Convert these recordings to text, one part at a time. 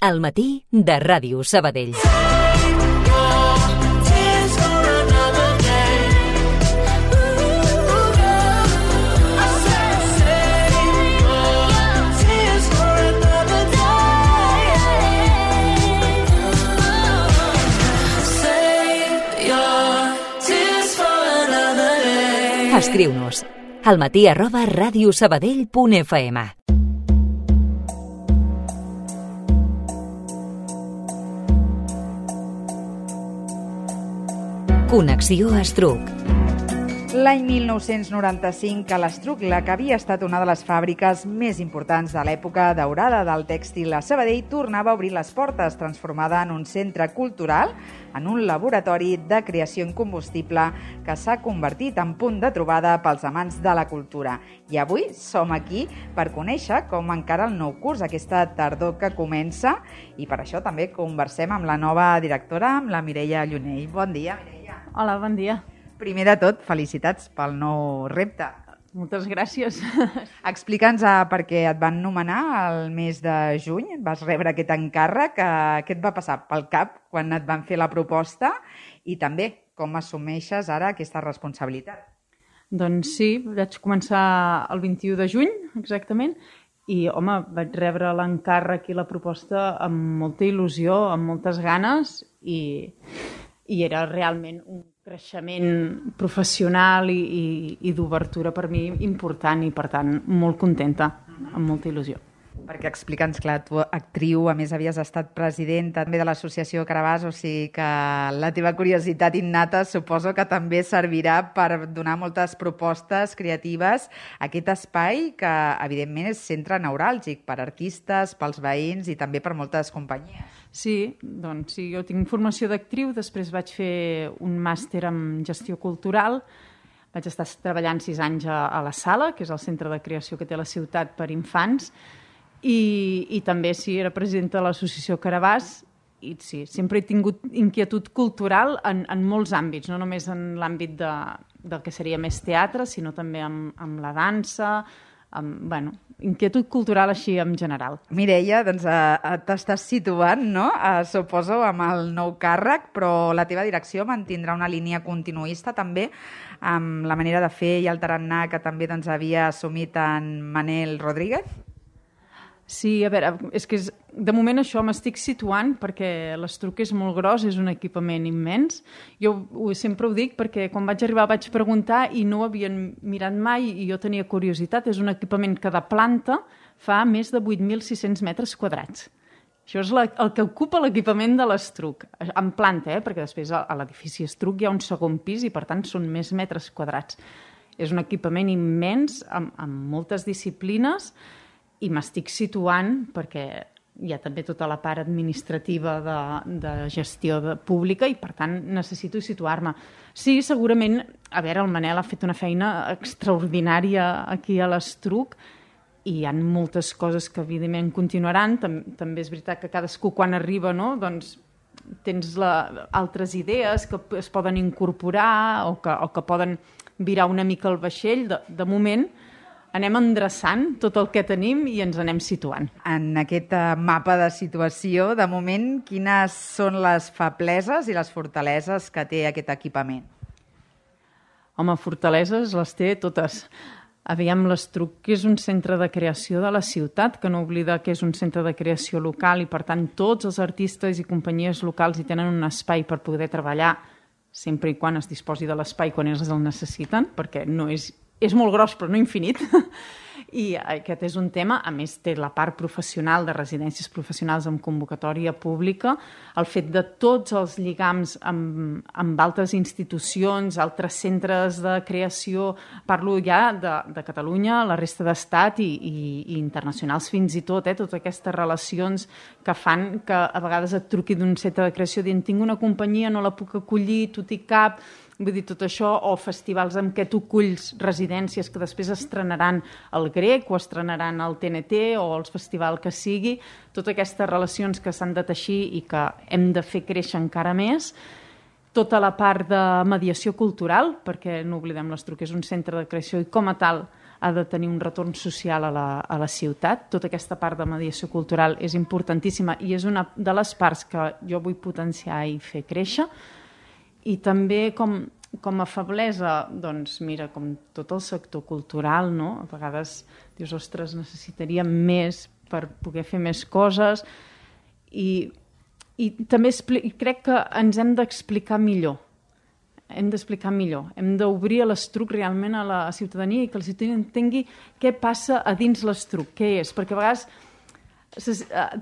Al matí de Ràdio Sabadell. Escriu-nos almatí@radiosabadell.fm. Connexió Estruc. L'any 1995, a l'Estruc, la que havia estat una de les fàbriques més importants de l'època daurada del tèxtil a Sabadell, tornava a obrir les portes, transformada en un centre cultural, en un laboratori de creació incombustible que s'ha convertit en punt de trobada pels amants de la cultura. I avui som aquí per conèixer com encara el nou curs, aquesta tardor que comença, i per això també conversem amb la nova directora, amb la Mireia Llunell. Bon dia, Mireia. Hola, bon dia. Primer de tot, felicitats pel nou repte. Moltes gràcies. Explica'ns per què et van nomenar el mes de juny, vas rebre aquest encàrrec, què et va passar pel cap quan et van fer la proposta i també com assumeixes ara aquesta responsabilitat? Doncs sí, vaig començar el 21 de juny, exactament, i, home, vaig rebre l'encàrrec i la proposta amb molta il·lusió, amb moltes ganes, i era realment un creixement professional i d'obertura per mi important i, per tant, molt contenta, amb molta il·lusió. Perquè explica'ns, clar, tu, actriu, a més havies estat presidenta també de l'associació Carabàs, o sigui que la teva curiositat innata suposo que també servirà per donar moltes propostes creatives a aquest espai que, evidentment, és centre neuràlgic per artistes, pels veïns i també per moltes companyies. Sí, doncs sí, jo tinc formació d'actriu, després vaig fer un màster en gestió cultural, vaig estar treballant 6 anys a la Sala, que és el centre de creació que té la ciutat per infants, i també sí, era presidenta de l'associació Carabàs, i sí, sempre he tingut inquietud cultural en molts àmbits, no només en l'àmbit del que seria més teatre, sinó també amb la dansa, inquietud cultural així en general. Mireia, doncs t'estàs situant, no? Suposo, amb el nou càrrec, però la teva direcció mantindrà una línia continuista també amb la manera de fer i el tarannà que també doncs, havia assumit en Manel Rodríguez? Sí, a veure, és que de moment això m'estic situant perquè l'Estruc és molt gros, és un equipament immens. Jo sempre ho dic perquè quan vaig arribar vaig preguntar i no ho havien mirat mai i jo tenia curiositat. És un equipament que de planta fa més de 8.600 metres quadrats. Això és el que ocupa l'equipament de l'Estruc, en planta, perquè després a l'edifici Estruc hi ha un segon pis i per tant són més metres quadrats. És un equipament immens amb moltes disciplines i m'estic situant perquè hi ha també tota la part administrativa de gestió pública i, per tant, necessito situar-me. Sí, segurament, a veure, el Manel ha fet una feina extraordinària aquí a l'Estruc i hi ha moltes coses que, evidentment, continuaran. També és veritat que cadascú, quan arriba, no, doncs, tens altres idees que es poden incorporar o que poden virar una mica el vaixell. De moment, anem endreçant tot el que tenim i ens anem situant. En aquest mapa de situació, de moment, quines són les febleses i les fortaleses que té aquest equipament? Home, fortaleses les té totes. Aviam, l'Estruc, que és un centre de creació de la ciutat, que no oblida que és un centre de creació local i, per tant, tots els artistes i companyies locals hi tenen un espai per poder treballar sempre i quan es disposi de l'espai quan ells el necessiten, perquè no és molt gros però no infinit, i aquest és un tema. A més, té la part professional de residències professionals amb convocatòria pública, el fet de tots els lligams amb altres institucions, altres centres de creació, parlo ja de Catalunya, la resta d'estat i internacionals fins i tot, totes aquestes relacions que fan que a vegades et truqui d'un centre de creació dient tinc una companyia, no la puc acollir, tu t'hi cap. Vull dir, tot això, o festivals en què tu culls residències que després estrenaran el Grec o estrenaran el TNT o el festival que sigui, totes aquestes relacions que s'han de teixir i que hem de fer créixer encara més. Tota la part de mediació cultural, perquè no oblidem l'Estruc és un centre de creació i com a tal ha de tenir un retorn social a la ciutat. Tota aquesta part de mediació cultural és importantíssima i és una de les parts que jo vull potenciar i fer créixer. I també com a feblesa, doncs mira, com tot el sector cultural, no? A vegades dius, ostres, necessitaríem més per poder fer més coses i també crec que ens hem d'explicar millor. Hem d'obrir l'Estruc realment a la ciutadania i que la ciutadania entengui què passa a dins l'Estruc, què és, perquè a vegades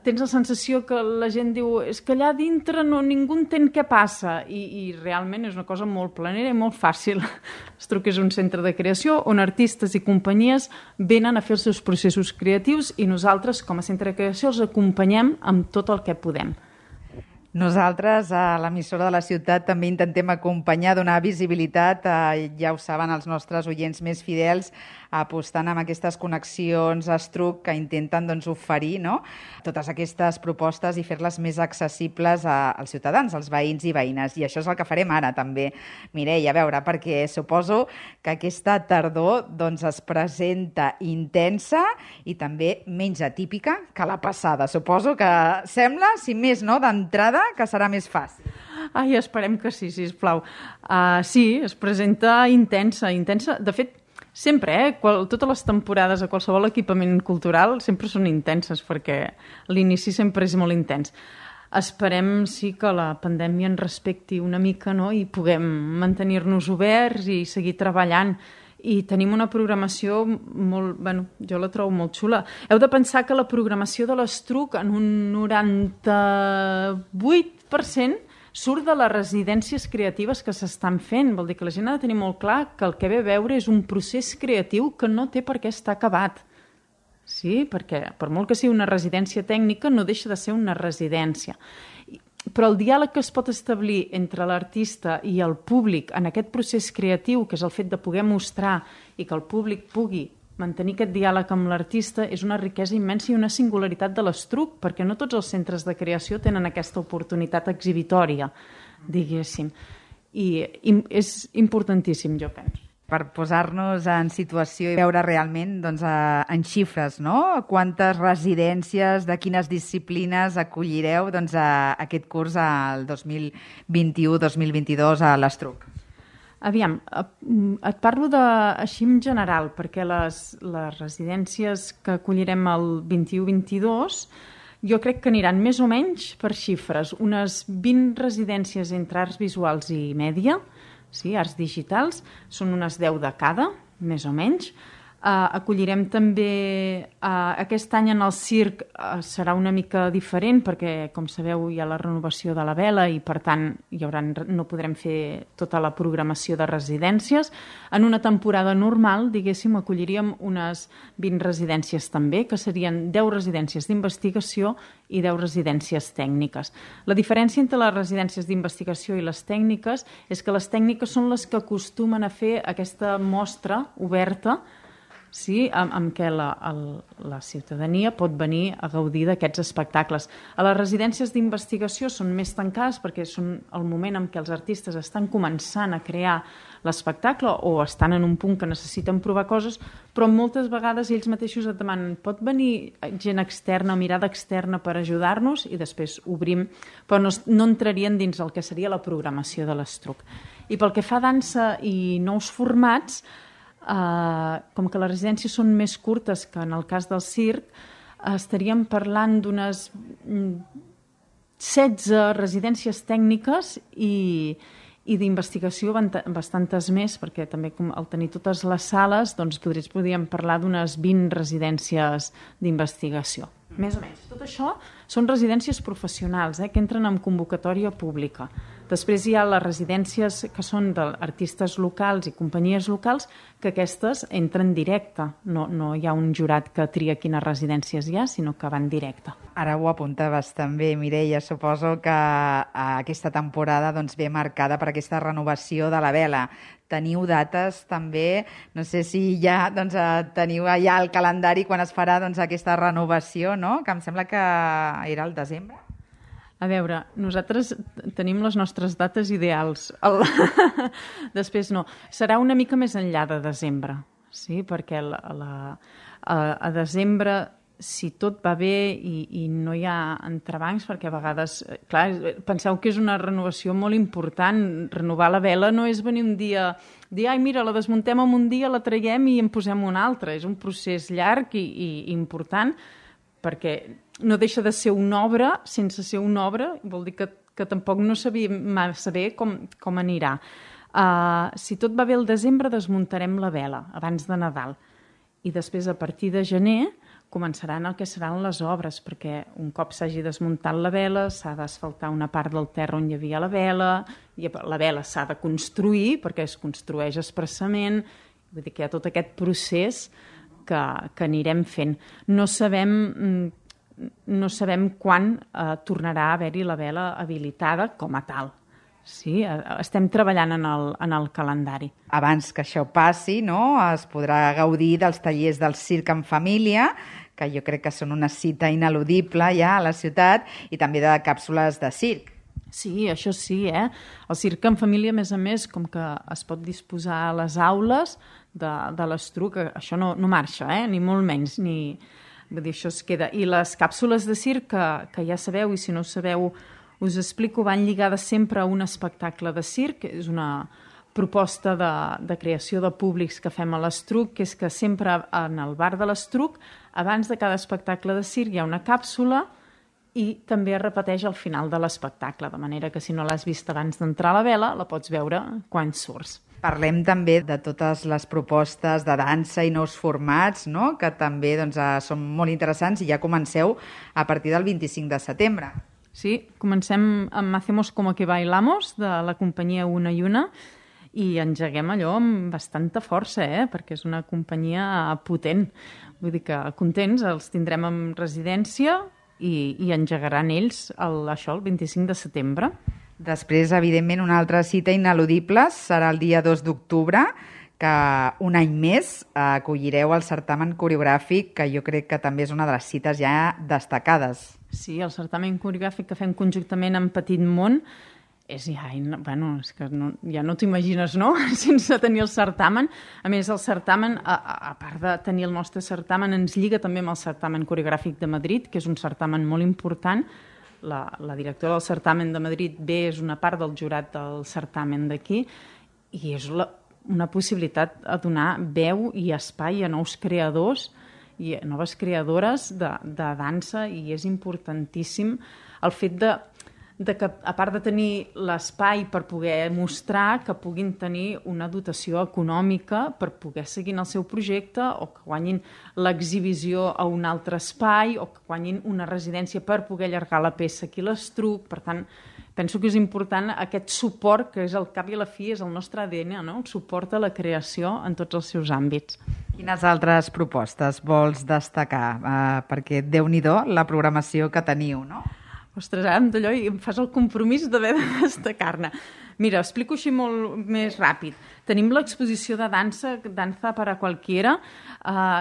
tens la sensació que la gent diu és que allà dintre ningú entén què passa i realment és una cosa molt planera i molt fàcil. L'Estruc és un centre de creació on artistes i companyies venen a fer els seus processos creatius i nosaltres com a centre de creació els acompanyem amb tot el que podem. Nosaltres, a l'emissora de la ciutat, també intentem acompanyar, donar visibilitat, ja ho saben els nostres oients més fidels, apostant amb aquestes connexions Estruc que intenten oferir totes aquestes propostes i fer-les més accessibles als ciutadans, als veïns i veïnes. I això és el que farem ara també, Mireia, a veure, perquè suposo que aquesta tardor es presenta intensa i també menys atípica que la passada. Suposo que sembla, si més no, d'entrada, que serà més fàcil. Ai, esperem que sí, sisplau. Sí, es presenta intensa. De fet, sempre, totes les temporades a qualsevol equipament cultural sempre són intenses perquè l'inici sempre és molt intens. Esperem, sí, que la pandèmia ens respecti una mica, no?, i puguem mantenir-nos oberts i seguir treballant. I tenim una programació molt... jo la trobo molt xula. Heu de pensar que la programació de l'Estruc en un 98% surt de les residències creatives que s'estan fent. Vol dir que la gent ha de tenir molt clar que el que ve a veure és un procés creatiu que no té per què estar acabat. Sí, perquè per molt que sigui una residència tècnica no deixa de ser una residència. Però el diàleg que es pot establir entre l'artista i el públic en aquest procés creatiu, que és el fet de poder mostrar i que el públic pugui mantenir aquest diàleg amb l'artista, és una riquesa immensa i una singularitat de l'Estruc, perquè no tots els centres de creació tenen aquesta oportunitat exhibitòria, diguéssim. I és importantíssim, jo penso. Per posar-nos en situació i veure realment en xifres, no? Quantes residències, de quines disciplines acollireu aquest curs al 2021-2022 a l'Estruc? Aviam, et parlo així en general, perquè les residències que acollirem el 21-22 jo crec que aniran més o menys per xifres. Unes 20 residències entre arts visuals i mèdia, sí, arts digitals, són unes 10 de cada, més o menys. Acollirem també, aquest any en el circ serà una mica diferent perquè, com sabeu, hi ha la renovació de la vela i, per tant, no podrem fer tota la programació de residències. En una temporada normal, diguéssim, acolliríem unes 20 residències també, que serien 10 residències d'investigació i 10 residències tècniques. La diferència entre les residències d'investigació i les tècniques és que les tècniques són les que acostumen a fer aquesta mostra oberta, sí, amb què la ciutadania pot venir a gaudir d'aquests espectacles. A les residències d'investigació són més tancades perquè són el moment en què els artistes estan començant a crear l'espectacle o estan en un punt que necessiten provar coses, però moltes vegades ells mateixos et demanen pot venir gent externa, mirada externa per ajudar-nos i després obrim, però no entrarien dins el que seria la programació de l'Estruc. I pel que fa a dansa i nous formats, com que les residències són més curtes que en el cas del circ, estaríem parlant d'unes 16 residències tècniques i d'investigació bastantes més, perquè també al tenir totes les sales podríem parlar d'unes 20 residències d'investigació. Més o menys. Tot això són residències professionals que entren en convocatòria pública. Després hi ha les residències que són d'artistes locals i companyies locals, que aquestes entren directe. No hi ha un jurat que tria quines residències hi ha, sinó que van directe. Ara ho apuntaves també, Mireia. Suposo que aquesta temporada ve marcada per aquesta renovació de la vela. Teniu dates també, no sé si ja teniu allà el calendari quan es farà aquesta renovació, no? Que em sembla que era al desembre. A veure, nosaltres tenim les nostres dates ideals. Després no. Serà una mica més enllà de desembre. sí, perquè a desembre, si tot va bé i no hi ha entrebancs, perquè a vegades, clar, penseu que és una renovació molt important. Renovar la vela no és venir un dia, dir, ai, mira, la desmuntem en un dia, la traiem i en posem una altra. És un procés llarg i important, perquè no deixa de ser una obra. Sense ser una obra vol dir que tampoc no sabíem massa bé com anirà. Si tot va bé al desembre, desmuntarem la vela abans de Nadal. I després, a partir de gener, començaran el que seran les obres, perquè un cop s'hagi desmuntat la vela, s'ha d'asfaltar una part del terra on hi havia la vela, i la vela s'ha de construir, perquè es construeix expressament. Vull dir que hi ha tot aquest procés que anirem fent. No sabem quan tornarà a haver-hi la vela habilitada com a tal. Sí, estem treballant en el calendari. Abans que això passi, no, es podrà gaudir dels tallers del circ en família, que jo crec que són una cita ineludible ja a la ciutat, i també de càpsules de circ. Sí, això sí, El circ en família, a més, com que es pot disposar a les aules de l'Estruc, això no marxa, ni molt menys, vull dir, això es queda. I les càpsules de circ, que ja sabeu, i si no ho sabeu, us explico, van lligades sempre a un espectacle de circ. És una proposta de creació de públics que fem a l'Estruc, que és que sempre en el bar de l'Estruc, abans de cada espectacle de circ, hi ha una càpsula i també es repeteix al final de l'espectacle, de manera que si no l'has vist abans d'entrar a la vela, la pots veure quan surts. Parlem també de totes les propostes de dansa i nous formats, no?, que també són molt interessants, i ja comenceu a partir del 25 de setembre. Sí, comencem amb Hacemos como que bailamos, de la companyia Una i Una, i engeguem allò amb bastanta força, perquè és una companyia potent. Vull dir que contents, els tindrem en residència i engegaran ells el 25 de setembre. Després, evidentment, una altra cita ineludible serà el dia 2 d'octubre, que un any més acollireu el certamen coreogràfic, que jo crec que també és una de les cites ja destacades. Sí, el certamen coreogràfic que fem conjuntament amb Petit Món és que ja no t'imagines, no?, sense tenir el certamen. A més, el certamen, a part de tenir el nostre certamen, ens lliga també amb el certamen coreogràfic de Madrid, que és un certamen molt important. La directora del certamen de Madrid és una part del jurat del certamen d'aquí, i és una possibilitat a donar veu i espai a nous creadors i a noves creadores de dansa, i és importantíssim el fet de que, a part de tenir l'espai per poder mostrar, que puguin tenir una dotació econòmica per poder seguir en el seu projecte, o que guanyin l'exhibició a un altre espai, o que guanyin una residència per poder allargar la peça aquí a l'Estruc. Per tant, penso que és important aquest suport, que és al cap i a la fi, és el nostre ADN, no?, el suport a la creació en tots els seus àmbits. Quines altres propostes vols destacar? Perquè Déu-n'hi-do la programació que teniu, no? Ostres, ara d'allò em fas el compromís d'haver de destacar-ne. Mira, explico així molt més ràpid. Tenim l'exposició de dansa, Danza para Cualquiera.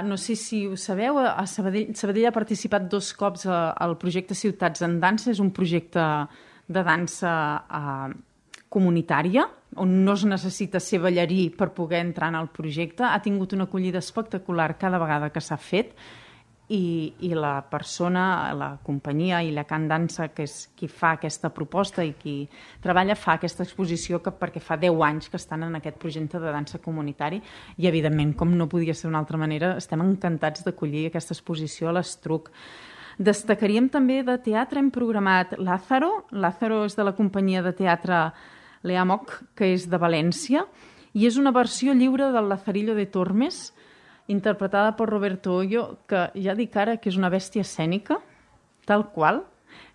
No sé si ho sabeu, a Sabadell ha participat 2 cops al projecte Ciutats en Dansa. És un projecte de dansa comunitària, on no es necessita ser ballarí per poder entrar en el projecte. Ha tingut una acollida espectacular cada vegada que s'ha fet, i la persona, la companyia i la Can Dansa, que és qui fa aquesta proposta i qui treballa, fa aquesta exposició perquè fa 10 anys que estan en aquest projecte de dansa comunitari, i evidentment, com no podia ser d'una altra manera, estem encantats d'acollir aquesta exposició a l'Estruc. Destacaríem també de teatre, hem programat Lázaro. Lázaro és de la companyia de teatre Leamoc, que és de València, i és una versió lliure del Lazarillo de Tormes, interpretada per Roberto Hoyo, que ja dic ara que és una bèstia escènica, tal qual,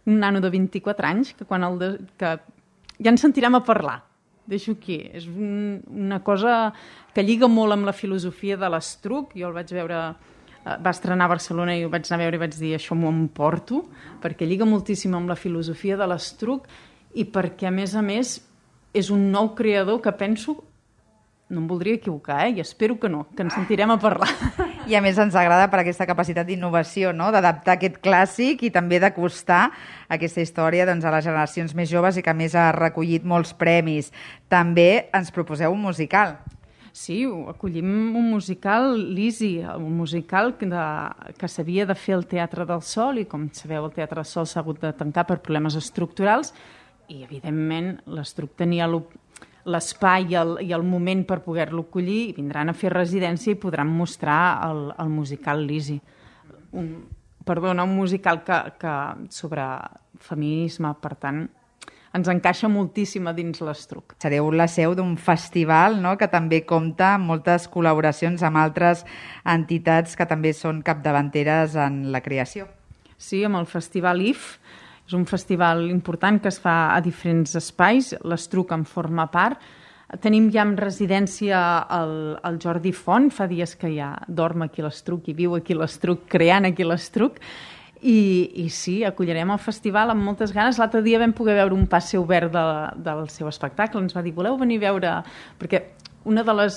un nano de 24 anys, que ja ens sentirem a parlar. Deixo aquí. És una cosa que lliga molt amb la filosofia de l'Estruc. Jo el vaig veure, va estrenar a Barcelona i ho vaig anar a veure i vaig dir això m'ho emporto, perquè lliga moltíssim amb la filosofia de l'Estruc, i perquè, a més, és un nou creador que penso, no em voldria equivocar, i espero que no, que ens sentirem a parlar. I a més ens agrada per aquesta capacitat d'innovació, no?, d'adaptar aquest clàssic i també d'acostar aquesta història a les generacions més joves, i que a més ha recollit molts premis. També ens proposeu un musical. Sí, acollim un musical, l'Easy, un musical que s'havia de fer al Teatre del Sol i, com sabeu, el Teatre del Sol s'ha hagut de tancar per problemes estructurals i, evidentment, l'Estruc tenia l'espai i el moment per poder-lo acollir i vindran a fer residència i podran mostrar el musical l'Easy. Un musical que sobre feminisme, per tant, ens encaixa moltíssim a dins l'Estruc. Sereu la seu d'un festival, no?, que també compta amb moltes col·laboracions amb altres entitats que també són capdavanteres en la creació. Sí, amb el Festival IF. És un festival important que es fa a diferents espais. L'Estruc en forma part. Tenim ja en residència el Jordi Font. Fa dies que ja dorm aquí a l'Estruc i viu aquí a l'Estruc, creant aquí a l'Estruc. I sí, acollirem el festival amb moltes ganes. L'altre dia vam poder veure un passe obert del seu espectacle. Ens va dir, voleu venir a veure... Perquè una de les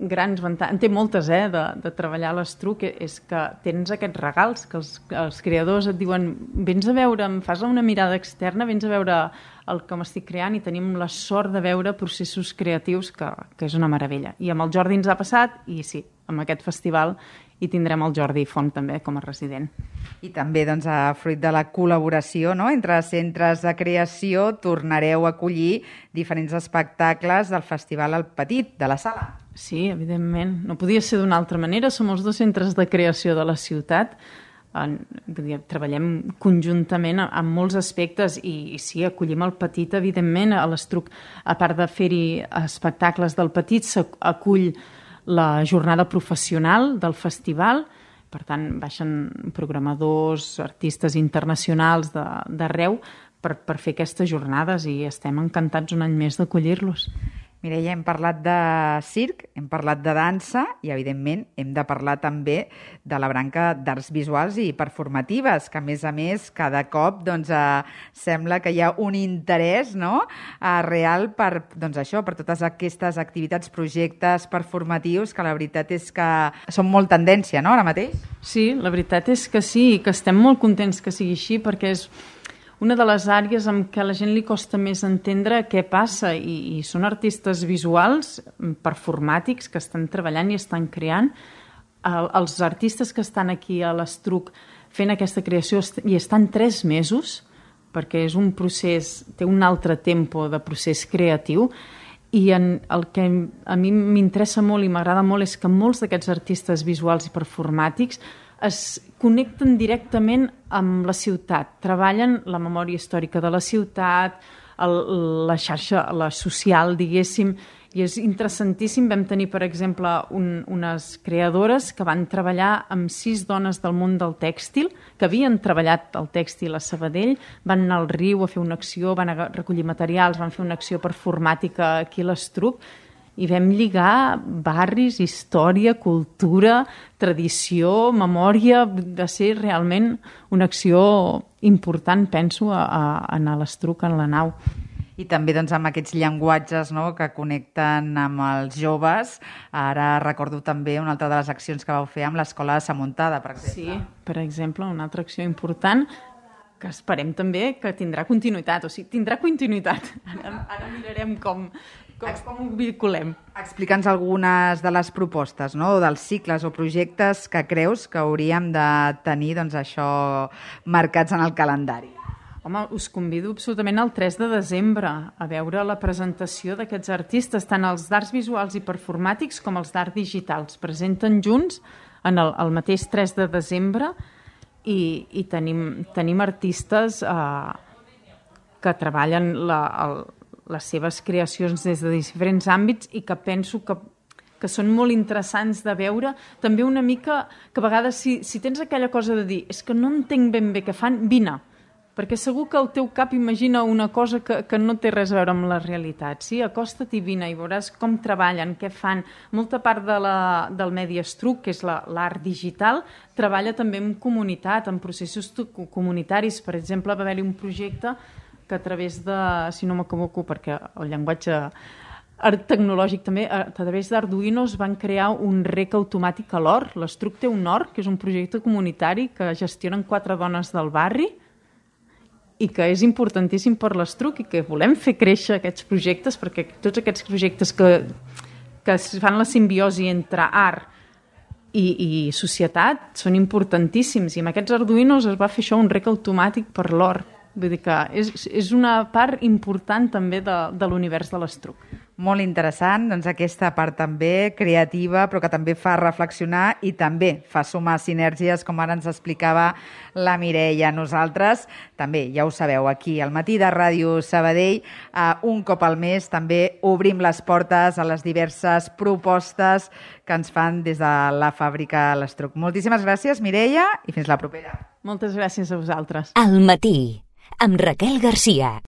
grans avantatges, en té moltes, de treballar a l'Estruc, és que tens aquests regals, que els creadors et diuen, vens a veure, em fas una mirada externa, vens a veure el que m'estic creant, i tenim la sort de veure processos creatius, que és una meravella. I amb el Jordi ens ha passat, i sí, amb aquest festival i tindrem el Jordi Font també com a resident. I també, doncs, fruit de la col·laboració, no?, entre centres de creació, tornareu a acollir diferents espectacles del Festival El Petit, de la Sala. Sí, evidentment. No podia ser d'una altra manera. Som els 2 centres de creació de la ciutat. Treballem conjuntament en molts aspectes i sí, acollim el Petit, evidentment. A l'Estruc, a part de fer-hi espectacles del Petit, s'acull la jornada professional del festival. Per tant, baixen programadors, artistes internacionals d'arreu per fer aquestes jornades i estem encantats un any més d'acollir-los. Mireia, hem parlat de circ, hem parlat de dansa i, evidentment, hem de parlar també de la branca d'arts visuals i performatives, que, a més, cada cop sembla que hi ha un interès, no?, real per totes aquestes activitats, projectes performatius, que la veritat és que són molt tendència, no?, ara mateix? Sí, la veritat és que sí, que estem molt contents que sigui així, perquè és una de les àrees en què a la gent li costa més entendre què passa i són artistes visuals, performàtics, que estan treballant i estan creant. Els artistes que estan aquí a l'Estruc fent aquesta creació i estan 3 mesos, perquè és un procés, té un altre tempo de procés creatiu, i el que a mi m'interessa molt i m'agrada molt és que molts d'aquests artistes visuals i performàtics es connecten directament amb la ciutat, treballen la memòria històrica de la ciutat, la xarxa, la social, diguéssim, i és interessantíssim. Vam tenir, per exemple, unes creadores que van treballar amb 6 dones del món del tèxtil, que havien treballat el tèxtil a Sabadell, van anar al riu a fer una acció, van recollir materials, van fer una acció performàtica aquí a l'Estruc, i vam lligar barris, història, cultura, tradició, memòria. Va ser realment una acció important, penso, a l'Estruc, en la nau. I també amb aquests llenguatges, no?, que connecten amb els joves. Ara recordo també una altra de les accions que vau fer amb l'Escola de Samuntada, per exemple. Sí, per exemple, una altra acció important que esperem també que tindrà continuïtat. O sigui, tindrà continuïtat. Ara mirarem com ho vinculem. Explica'ns algunes de les propostes, no?, o dels cicles o projectes que creus que hauríem de tenir això marcats en el calendari. Home, us convido absolutament al 3 de desembre a veure la presentació d'aquests artistes, tant els d'arts visuals i performàtics com els d'art digital. Es presenten junts el mateix 3 de desembre i tenim artistes que treballen les seves creacions des de diferents àmbits i que penso que són molt interessants de veure. També una mica que a vegades si tens aquella cosa de dir és que no entenc ben bé què fan, vine. Perquè segur que el teu cap imagina una cosa que no té res a veure amb la realitat. Sí, acosta't i vine i veuràs com treballen, què fan. Molta part del Medi Estruc, que és l'art digital, treballa també en comunitat, en processos comunitaris. Per exemple, va haver-hi un projecte que a través de, si no m'equivoco, perquè el llenguatge tecnològic també, a través d'Arduinos van crear un rec automàtic a l'or. L'Estruc té un or, que és un projecte comunitari que gestionen 4 dones del barri i que és importantíssim per l'Estruc i que volem fer créixer aquests projectes, perquè tots aquests projectes que que fan la simbiosi entre art i societat són importantíssims, i amb aquests Arduinos es va fer això, un rec automàtic per l'or. Vull dir que és una part important també de l'univers de l'estruc. Molt interessant, doncs aquesta part també creativa, però que també fa reflexionar i també fa sumar sinergies, com ara ens explicava la Mireia. Nosaltres també, ja ho sabeu, aquí al Matí de Ràdio Sabadell, un cop al mes també obrim les portes a les diverses propostes que ens fan des de la fàbrica L'Estruc. Moltíssimes gràcies, Mireia, i fins la propera. Moltes gràcies a vosaltres. Al Matí, amb Raquel Garcia.